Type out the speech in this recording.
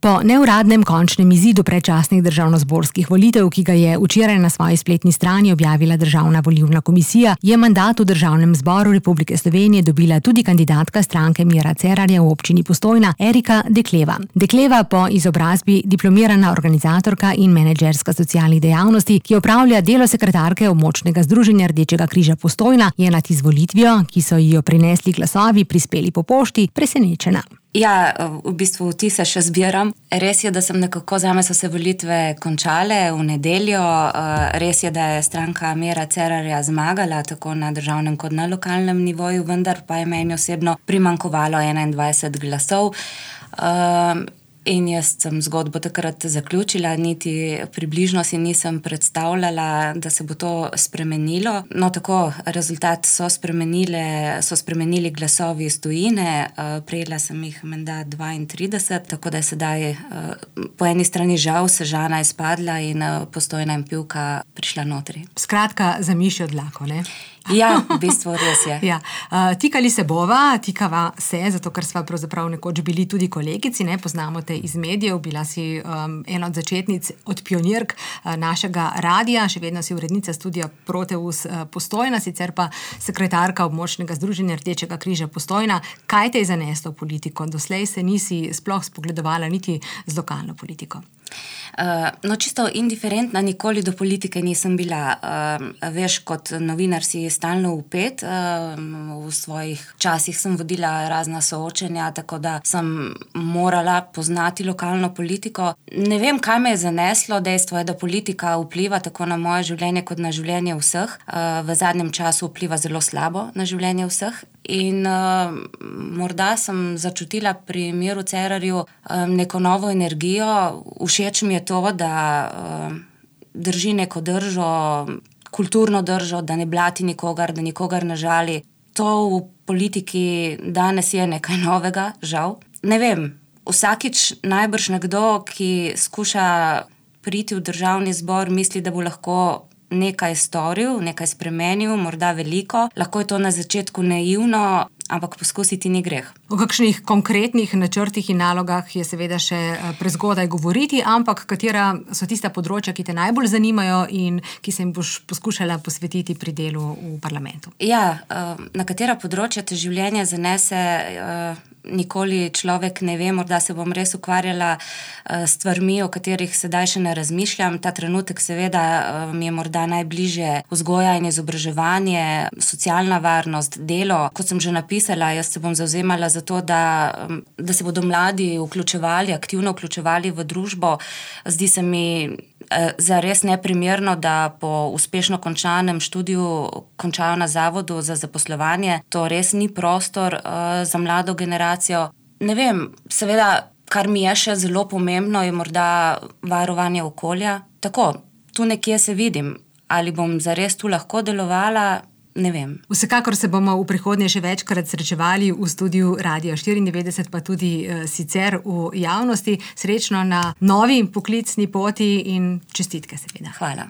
Po neuradnem končnem izidu predčasnih državnozborskih volitev, ki ga je včeraj na svoji spletni strani objavila Državna volilna komisija, je mandat v Državnem zboru Republike Slovenije dobila tudi kandidatka stranke Mira Cerarja v občini Postojna, Erika Dekleva. Dekleva, po izobrazbi diplomirana organizatorka in menedžerska socialnih dejavnosti, ki opravlja delo sekretarke območnega združenja Rdečega križa Postojna, je nad izvolitvijo, ki so ji jo prinesli glasovi, prispeli po pošti, presenečena. Ja, v bistvu vtise še zbiram. Res je, da sem nekako, zame so se volitve končale v nedeljo. Res je, da je stranka Mira Cerarja zmagala tako na državnem kot na lokalnem nivoju, vendar pa je meni osebno primanjkovalo 21 glasov. In jaz sem zgodbo takrat zaključila, niti približno si nisem predstavljala, da se bo to spremenilo. No, tako, rezultat so spremenili glasovi iz tujine, prejela sem jih menda 32, tako da je sedaj po eni strani žal Sežana izpadla in Postojna in Pivka prišla notri. Skratka, za mišjo dlako, ne? Ja, v bistvu res je. Ja. Tikali se tikava se, zato ker sva pravzaprav nekoč bili tudi kolegici, ne, poznamo te iz medijev, bila si ena od začetnic, od pionirk našega radija, še vedno si urednica studia Proteus Postojna, sicer pa sekretarka območnega združenja Rdečega križa Postojna. Kaj te je zaneslo v politiko? Doslej se nisi sploh spogledovala niti z lokalno politiko. No, čisto indiferentna nikoli do politike nisem bila. Veš, kot novinar si stalno vpet, v svojih časih sem vodila razna soočenja, tako da sem morala poznati lokalno politiko. Ne vem, kaj me je zaneslo, dejstvo je, da politika vpliva tako na moje življenje kot na življenje vseh. V zadnjem času vpliva zelo slabo na življenje vseh. In morda sem začutila pri Miru Cerarju neko novo energijo. Všeč mi je to, da drži neko držo, kulturno držo, da ne blati nikogar, da nikogar ne žali. To v politiki danes je nekaj novega, žal. Ne vem, vsakič najbrž nekdo, ki skuša priti v Državni zbor, misli, da bo lahko nekaj storil, nekaj spremenil, morda veliko. Lahko je to na začetku naivno, ampak poskusiti ni greh. O kakšnih konkretnih načrtih in nalogah je seveda še prezgodaj govoriti, ampak katera so tista področja, ki te najbolj zanimajo in ki se jim boš poskušala posvetiti pri delu v parlamentu? Ja, na katera področja te življenje zanese, nikoli človek ne ve, morda se bom res ukvarjala s stvarmi, o katerih sedaj še ne razmišljam. Ta trenutek seveda mi je morda najbližje vzgoja in izobraževanje, socialna varnost, delo. Kot sem že napisala, jaz se bom zavzemala za to, da se bodo mladi aktivno vključevali v družbo. Zdi se mi zares neprimerno, da po uspešno končanem študiju končajo na zavodu za zaposlovanje. To res ni prostor za mlado generacijo. Ne vem, seveda, kar mi je še zelo pomembno, je morda varovanje okolja. Tako, tu nekje se vidim. Ali bom zares tu lahko delovala? Ne vem. Vsekakor se bomo v prihodnje še večkrat srečevali v studiu Radia 94, pa tudi sicer v javnosti. Srečno na novi poklicni poti in čestitke seveda. Hvala.